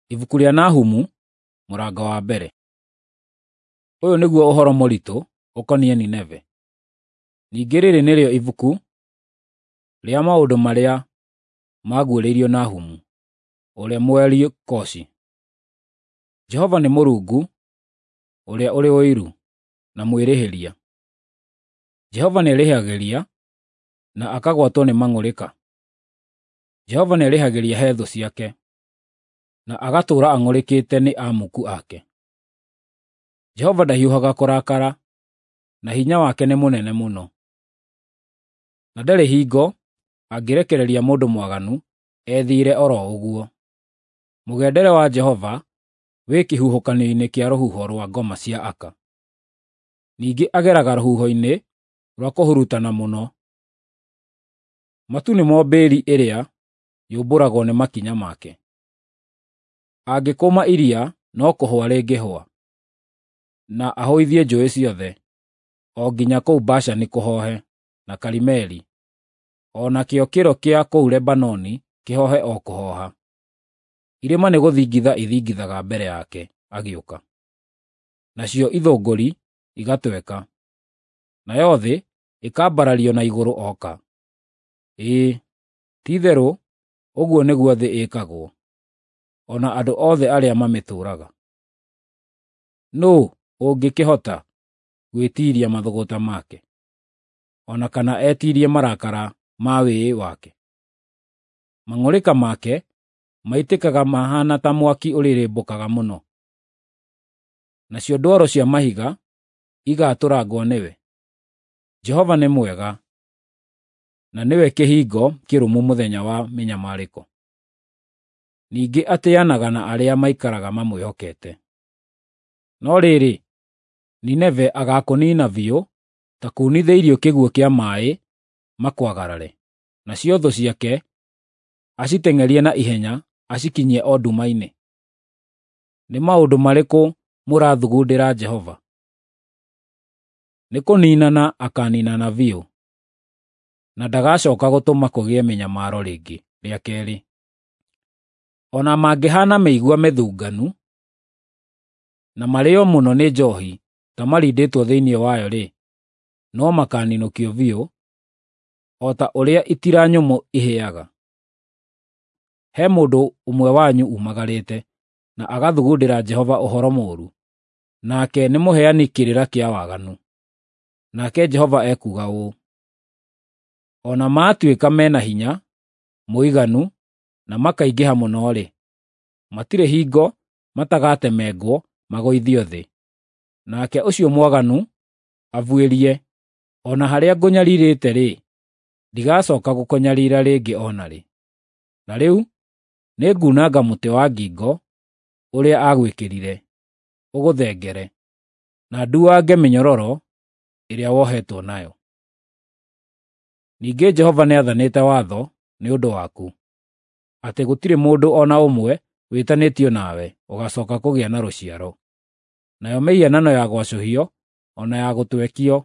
Ibuku rĩa Nahumu, mũrango wa mbere. Ũyũ nĩguo ũhoro mũritũ ũkoniĩ Nineve. Ningĩ rĩrĩ nĩrĩo ibuku rĩa maũndũ marĩa maguũrĩirio Nahumu, ũrĩa Mũelikoshi. Jehova nĩ Mũrungu ũrĩa ũrĩ ũiru, na mwĩrĩhĩria. Jehova nĩerĩhagĩria na akagwatwo nĩ mang'ũrĩka. Jehova nĩerĩhagĩria he thũ ciake, na agatũũra ang'ũrĩkĩte nĩ amuku ake. Jehova ndahiũhaga kũrakara, na hinya wake nĩ mũnene mũno. Na ndarĩ hingo angĩrekereria mũndũ mwaganu ethiĩre o ro ũguo. Mũgendere wa Jehova wĩ kĩhuhũkanio-inĩ kĩa rũhuho rwa ngoma cia aka. Ningĩ ageraga rũhuho-inĩ rwa kũhurutana mũno. Matu nĩmo mbĩri ĩrĩa yũmbũragwo nĩ makinya make. Angĩkũma iria no kũhũa rĩngĩhũa, na ahũithie njũũĩ ciothe, o nginya kũu Bashani kũhoohe, na Karimeli, o nakĩo kĩro kĩa kũu Lebanoni kĩhoohe o kũhooha. Irĩma nĩgũthingitha ithingithaga mbere yake agĩũka, nacio ithũngũri igatweka, nayo thĩ ĩkambarario na igũrũ oka. Ĩĩ, ti-itherũ ũguo nĩguo thĩ ĩĩkagwo, o na andũ othe arĩa mamĩtũũraga. Nũũ ũngĩkĩhota gwĩtiiria mathũgũta make, o na kana etiirie marakara ma wĩĩ wake? Mang'ũrĩka make maitĩkaga mahaana ta mwaki ũrĩrĩmbũkaga mũno, nacio ndwaro cia mahiga igaatũrangwo nĩwe. Jehova nĩ mwega, na nĩwe kĩhingo kĩrũmu mũthenya wa mĩnyamarĩko. Ningĩ atĩanaga na arĩa maikaraga mamwĩhokete. No rĩrĩ, Nineve agaakũniina biũ ta kuunithĩirio kĩguũ kĩa maaĩ makwagarare, nacio thũ ciake aciteng'erie na ihenya acikinyie o nduma-inĩ. Nĩ maũndũ marĩkũ mũrathugundĩra Jehova? Nĩ kũniinana akaaniinana biũ, na ndagacooka gũtũma kũgĩe mĩnyamaro rĩngĩ rĩa keerĩ. O na mangĩhaana mĩigua mĩthunganu, na marĩĩo mũno nĩ njoohi ta marindĩtwo thĩinĩ wayo-rĩ, no makaaninũkio biũ, o ta ũrĩa itira nyũmũ ihĩaga. He mũndũ ũmwe wanyu umagarĩte, na agathugundĩra Jehova ũhoro mũũru, nake nĩ mũheani kĩrĩra kĩa waganu. Nake Jehova ekuuga ũũ: O na maatuĩka me na hinya mũiganu na makaingĩha mũno-rĩ, matirĩ hingo matagatemengwo magũithio thĩ. Nake ũcio mwaganu abuĩrie, o na harĩa ngũnyariirĩte-rĩ, ndigacooka gũkũnyariira rĩngĩ o na rĩ. Na rĩu nĩngunanga mũtĩ wa ngingo ũrĩa aagwĩkĩrire, ũgũthengere, na nduange mĩnyororo ĩrĩa wohetwo nayo. Ningĩ Jehova nĩathanĩte watho nĩ ũndũ waku, atĩ gũtirĩ mũndũ o na ũmwe wĩtanĩtio nawe ũgaacooka kũgĩa na rũciaro. Nayo mĩhianano ya gwacũhio o na ya gũtwekio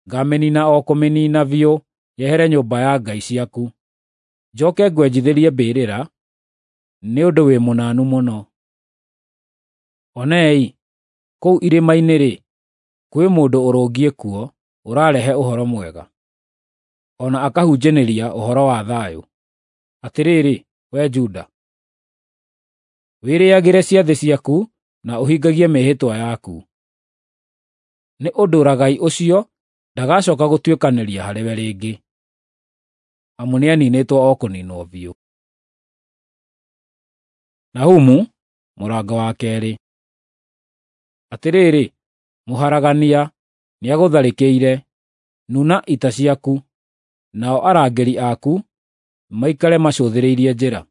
ngaamĩniina o kũmĩniina biũ yehere nyũmba ya ngai ciaku. Njooke ngwenjithĩrie mbĩrĩra, nĩ ũndũ wĩ mũnanu mũno. Onei, kũu irĩma-inĩ-rĩ, kwĩ mũndũ ũrũngiĩ kuo ũrarehe ũhoro mwega, o na akahunjanĩria ũhoro wa thayũ. Atĩrĩrĩ, wee Juda, wĩrĩĩagĩre ciathĩ ciaku na ũhingagie mĩĩhĩtwa yaku. Nĩ ũndũ Ragai ũcio ndagacooka gũtuĩkanĩria harĩwe rĩngĩ, amu nĩaniinĩtwo o kũniinwo biũ. Nahumu, mũrango wa keerĩ. Atĩrĩrĩ, mũharagania nĩagũtharĩkĩire, nuna ita ciaku, nao arangĩri aku maikare macũthĩrĩirie njĩra.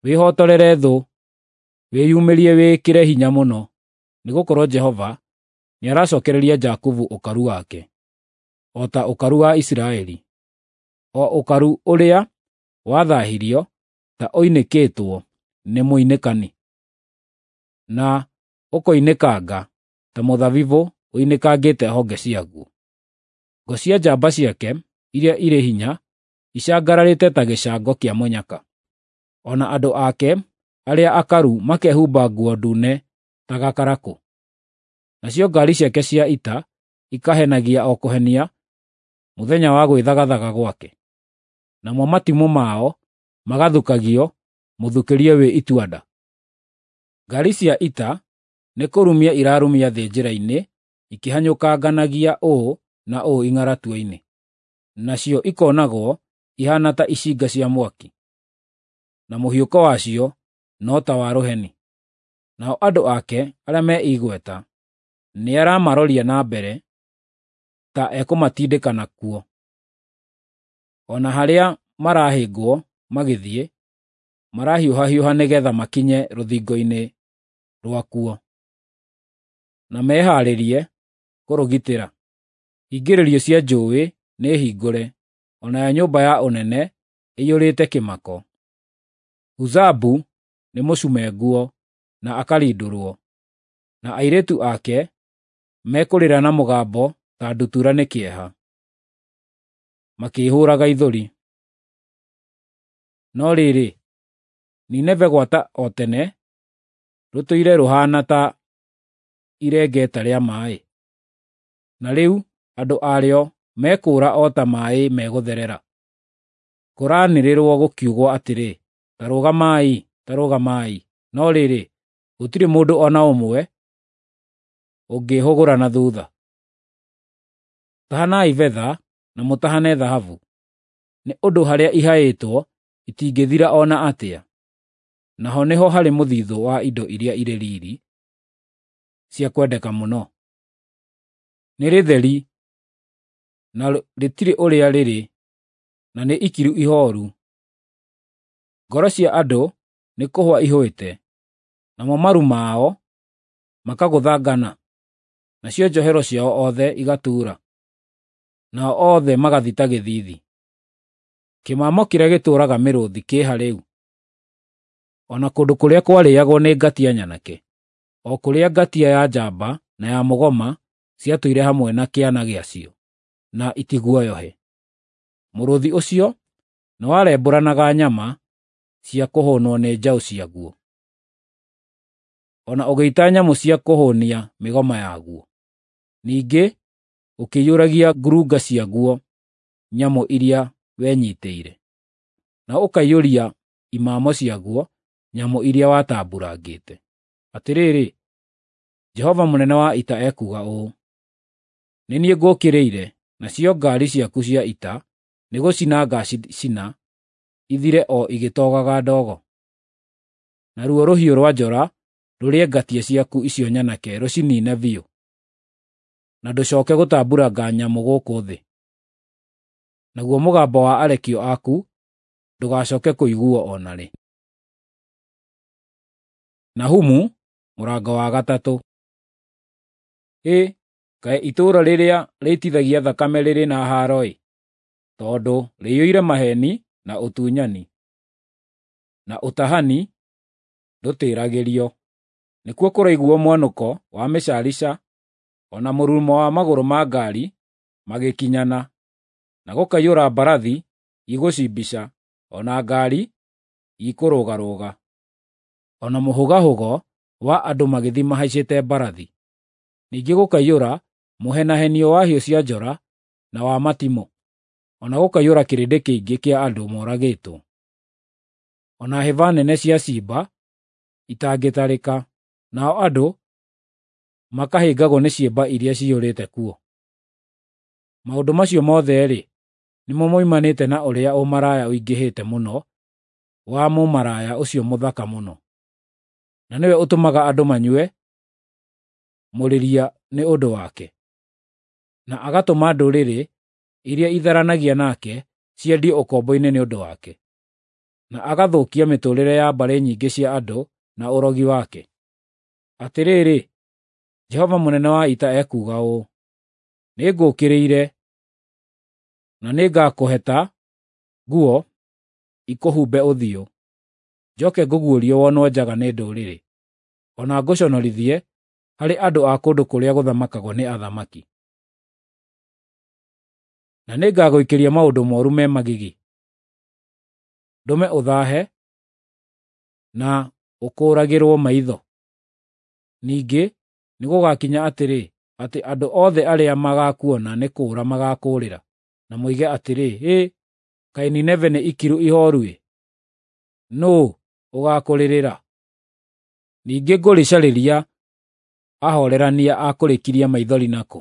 Wĩhotorere thũ, wĩyũmĩrie wĩĩkĩre hinya mũno, nĩgũkorwo Jehova nĩaracookereria Jakubu ũkaru wake, o ta ũkaru wa Isiraeli, o ũkaru ũrĩa wathaahirio ta ũinĩkĩtwo nĩ mũinĩkani, na ũkoinĩkanga ta mũthabibũ ũinĩkangĩte honge ciaguo. Ngo cia njamba ciake iria irĩ hinya icangararĩte ta gĩcango kĩa mũnyaka, o na andũ ake Arĩa akaru makehumba nguo ndune ta gakarakũ. Nacio ngaari ciake cia ita ikahenagia o kũhenia mũthenya wa gwĩthagathaga gwake. Namo matimũ mao magathukagio mũthukĩrie wĩ itua-nda. Ngaari cia ita nĩ kũrumia irarumia thĩ njĩra-inĩ, ikĩhanyũkanganagia ũũ na ũũ ing'aratua-inĩ. Nacio ikonagwo ihaana ta icinga cia mwaki, na mũhiũko wacio no ta wa rũheni. Nao andũ ake arĩa me igweta nĩaramaroria na mbere ta ekũmatindĩka nakuo. O na harĩa marahĩngwo magĩthiĩ, marahiũhahiũha nĩgeetha makinye rũthingo-inĩ rwakuo, na mehaarĩrie kũrũgitĩra. Hingĩrĩrio cia njũũĩ nĩhingũre, o nayo nyũmba ya ũnene ĩiyũrĩte kĩmako. Huzabu nĩ mũcume nguo na akarindũrwo, na airĩtu ake mekũrĩra na mũgambo ta ndutura nĩ kĩeha, makĩĩhũũraga ithũri. No rĩrĩ, Nineve gwata o tene rũtũire rũhaana ta irengeta rĩa maaĩ, na rĩu andũ arĩo mekũũra o ta maaĩ megũtherera. Kũraanĩrĩrwo gũkiugwo atĩrĩ, “Ta rũgamai! Ta rũgamai!” No rĩrĩ, gũtirĩ mũndũ o na ũmwe ũngĩĩhũgũra na thuutha. Tahanai betha na mũtahane thahabu, nĩ ũndũ harĩa ihaĩtwo itingĩthira o na atĩa. Naho nĩho harĩ mũthithũ wa indo iria irĩ riiri cia kwendeka mũno. Nĩ rĩtheri, na rĩtirĩ ũrĩa rĩrĩ, na nĩ ikiru ihooru. Ngoro cia andũ nĩ kũhũa ihũĩte, namo maru mao makagũthangana, nacio njohero ciao othe igatuura, nao othe magathita gĩthiithi. Kĩmamo kĩrĩa gĩtũũraga mĩrũũthi kĩ ha rĩu? O na kũndũ kũrĩa kwarĩĩagwo nĩ ngatia nyanake, o kũrĩa ngatia ya njamba na ya mũgoma ciatũire hamwe na kĩana gĩacio, na itiguoyohe. Mũrũũthi ũcio nĩwarembũranaga nyama cia kũhũnwo nĩ njaũ ciaguo, o na ũgĩita nyamũ cia kũhũnia mĩgoma yaguo. Ningĩ ũkĩiyũragia ngurunga ciaguo nyamũ iria wenyiitĩire, na ũkaiyũria imamo ciaguo nyamũ iria watambuurangĩte. Atĩrĩrĩ, Jehova mũnene wa ita ekuuga ũũ: Nĩ niĩ ngũũkĩrĩire, nacio ngaari ciaku cia ita nĩgũcina ngaacicina ithire o igĩtogaga ndogo. Naruo rũhiũ rwa njora rũrĩe ngatia ciaku icio nyanake rũciniine biũ, na ndũcooke gũtambuuranga nyamũ gũkũ thĩ. Naguo mũgambo wa arekio aku ndũgacooke kũiguuo o na rĩ. Nahumu mũrango wa gatatũ. Hĩ, kaĩ itũũra rĩrĩa rĩitithagia thakame rĩrĩ na haaro-ĩ, tondũ rĩiyũire maheeni na ũtunyani, na ũtahani ndũtĩĩragĩrio. Nĩkuo kũraiguuo mwanũko wa mĩcarica o na mũrurumo wa magũrũ ma ngaari magĩkinyana, na gũkaiyũra mbarathi igũcimbica o na ngaari ikũrũgarũga, o na mũhũgahũgo wa andũ magĩthiĩ mahaicĩte mbarathi. Ningĩ gũkaiyũra mũhenahenio wa hiũ cia njora na wa matimũ, o na gũkaiyũra kĩrĩndĩ kĩingĩ kĩa andũ moragĩtwo, o na hĩba nene cia ciimba itangĩtarĩka, nao andũ makahĩngagwo nĩ ciimba iria ciyũrĩte kuo. Maũndũ macio mothe-rĩ, nĩmo moimanĩte na ũrĩa ũmaraya ũingĩhĩte mũno wa mũmaraya ũcio mũthaka mũno, na nĩwe ũtũmaga andũ manyue mũrĩria nĩ ũndũ wake, na agatũma ndũrĩrĩ iria itharanagia nake ciendio ũkombo-inĩ nĩ ũndũ wake, na agathũkia mĩtũũrĩre ya mbarĩ nyingĩ cia andũ na ũrogi wake. Atĩrĩrĩ, Jehova mũnene wa ita ekuuga ũũ: Nĩngũũkĩrĩire, na nĩngakũheta nguo ikũhumbe ũthiũ, njoke ngũguũrie wonwo njaga nĩ ndũrĩrĩ, o na ngũconorithie harĩ andũ a kũndũ kũrĩa gũthamakagwo nĩ athamaki. Na nĩngagũikĩria maũndũ mooru me magigi, ndũme ũthaahe na ũkũũragĩrwo maitho? Ningĩ nĩgũgakinya atĩrĩ, atĩ andũ othe arĩa magakuona nĩ kũũra magakũũrĩra, na moige atĩrĩ, 'Hĩ, kaĩ Nineve nĩ ikiru ihooru-ĩ! Nũũ ũgaakũrĩrĩra?' Ningĩ ngũrĩcarĩria ahorerania a kũrĩkiria maithori nakũ?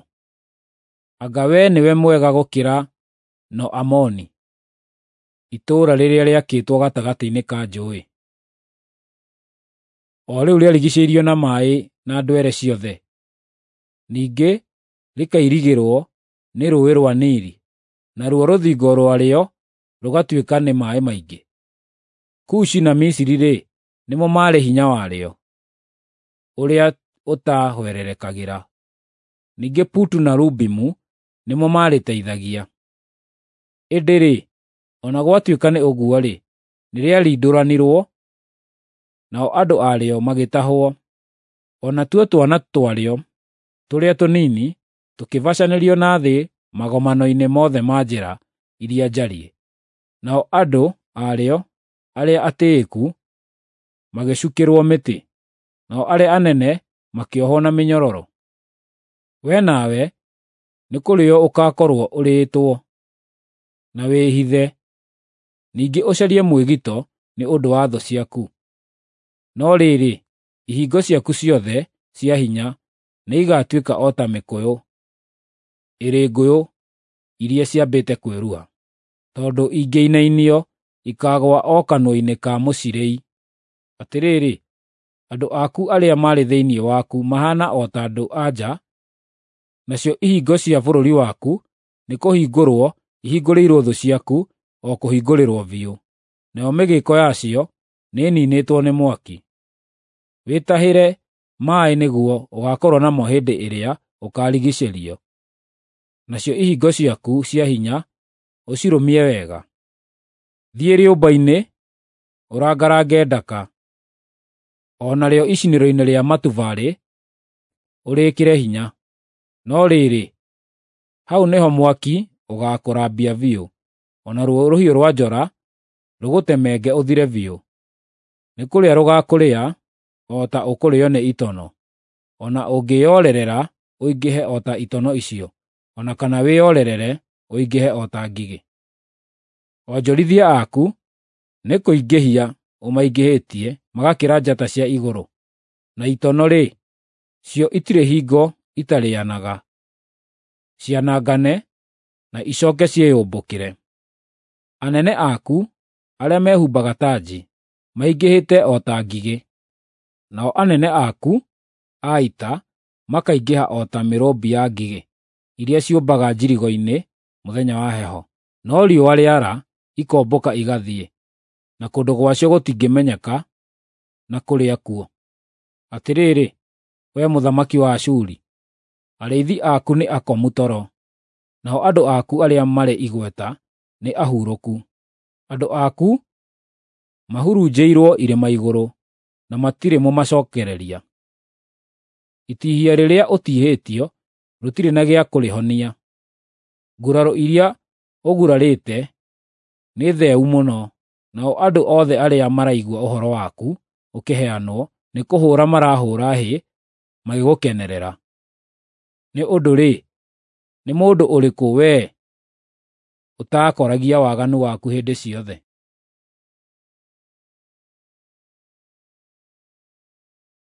Anga wee nĩwe mwega gũkĩra No-Amoni, itũũra rĩrĩa rĩakĩtwo gatagatĩ-inĩ ka njũũĩ, o rĩu rĩarigiicĩirio na maaĩ na ndwere ciothe, ningĩ rĩkairigĩrwo nĩ Rũũĩ rwa Nili, naruo rũthingo rwarĩo rũgatuĩka nĩ maaĩ maingĩ? Kushi na Misiri-rĩ, nĩmo maarĩ hinya warĩo ũrĩa ũtaahwererekagĩra. Ningĩ Putu na Lubimu nĩmo maarĩteithagia. Ĩndĩ-rĩ, o na gwatuĩka nĩ ũguo-rĩ, nĩrĩarindũranirwo, nao andũ arĩo magĩtahwo. O natuo twana twarĩo tũrĩa tũnini tũkĩbacanĩrio na thĩ magomano-inĩ mothe ma njĩra iria njariĩ. Nao andũ arĩo arĩa atĩĩku magĩcukĩrwo mĩtĩ, nao arĩa anene makĩohwo na mĩnyororo. Wee nawe nĩkũrĩĩo ũgaakorwo ũrĩĩtwo, na wĩhithe, ningĩ ũcarie mwĩgito nĩ ũndũ wa thũ ciaku. No rĩrĩ, ihingo ciaku ciothe cia hinya nĩigatuĩka o ta mĩkũyũ ĩrĩ ngũyũ iria ciambĩte kwĩruha, tondũ ingĩinainio ikaagũa o kanua-inĩ ka mũcirĩi. Atĩrĩrĩ, andũ aku arĩa marĩ thĩinĩ waku mahaana o ta andũ-a-nja, nacio ihingo cia bũrũri waku nĩkũhingũrwo ihingũrĩirwo thũ ciaku o kũhingũrĩrwo biũ, nayo mĩgĩĩko yacio nĩĩniinĩtwo nĩ mwaki. Wĩtahĩre maaĩ nĩguo ũgaakorwo namo hĩndĩ ĩrĩa ũkaarigiicĩrio, nacio ihingo ciaku cia hinya ũcirũmie wega. Thiĩ rĩũmba-inĩ, ũrangarange ndaka, o narĩo icinĩro-inĩ rĩa matubarĩ ũrĩĩkĩre hinya. No rĩrĩ, hau nĩho mwaki ũgaakũrambia biũ, o naruo rũhiũ rwa njora rũgũtemenge ũthire biũ. Nĩ kũrĩa rũgaakũrĩa o ta ũkũrĩĩo nĩ itono, o na ũngĩĩorerera ũingĩhe o ta itono icio, o na kana wĩorerere ũingĩhe o ta ngigĩ. Onjorithia aku nĩ kũingĩhia ũmaingĩhĩtie magakĩra njata cia igũrũ, na itono-rĩ, cio itirĩ hingo itarĩanaga, cianangane na icooke ciĩyũmbũkĩre. Anene aku arĩa mehumbaga tanji maingĩhĩte o ta ngigĩ, nao anene aku a ita makaingĩha o ta mĩrũmbi ya ngigĩ iria ciũmbaga njirigo-inĩ mũthenya wa heho. No riũa rĩara ikombũka igathiĩ, na kũndũ gwacio gũtingĩmenyeka na kũrĩa kuo. Atĩrĩrĩ, wee mũthamaki wa Ashuri, arĩithi aku nĩ akomu toro, nao andũ aku arĩa marĩ igweta nĩ ahurũku. Andũ aku mahurunjĩirwo irĩma igũrũ, na matirĩ mũmacookereria. Itihia rĩrĩa ũtihĩtio rũtirĩ na gĩa kũrĩhonia. Nguraro iria ũgurarĩte nĩ theeu mũno, nao andũ othe arĩa maraigua ũhoro waku ũkĩheanwo nĩ kũhũũra marahũũra hĩ magĩgũkenerera. Nĩ ũndũ-rĩ, nĩ mũndũ ũrĩkũ wee ũtaakoragia waganu waku hĩndĩ ciothe?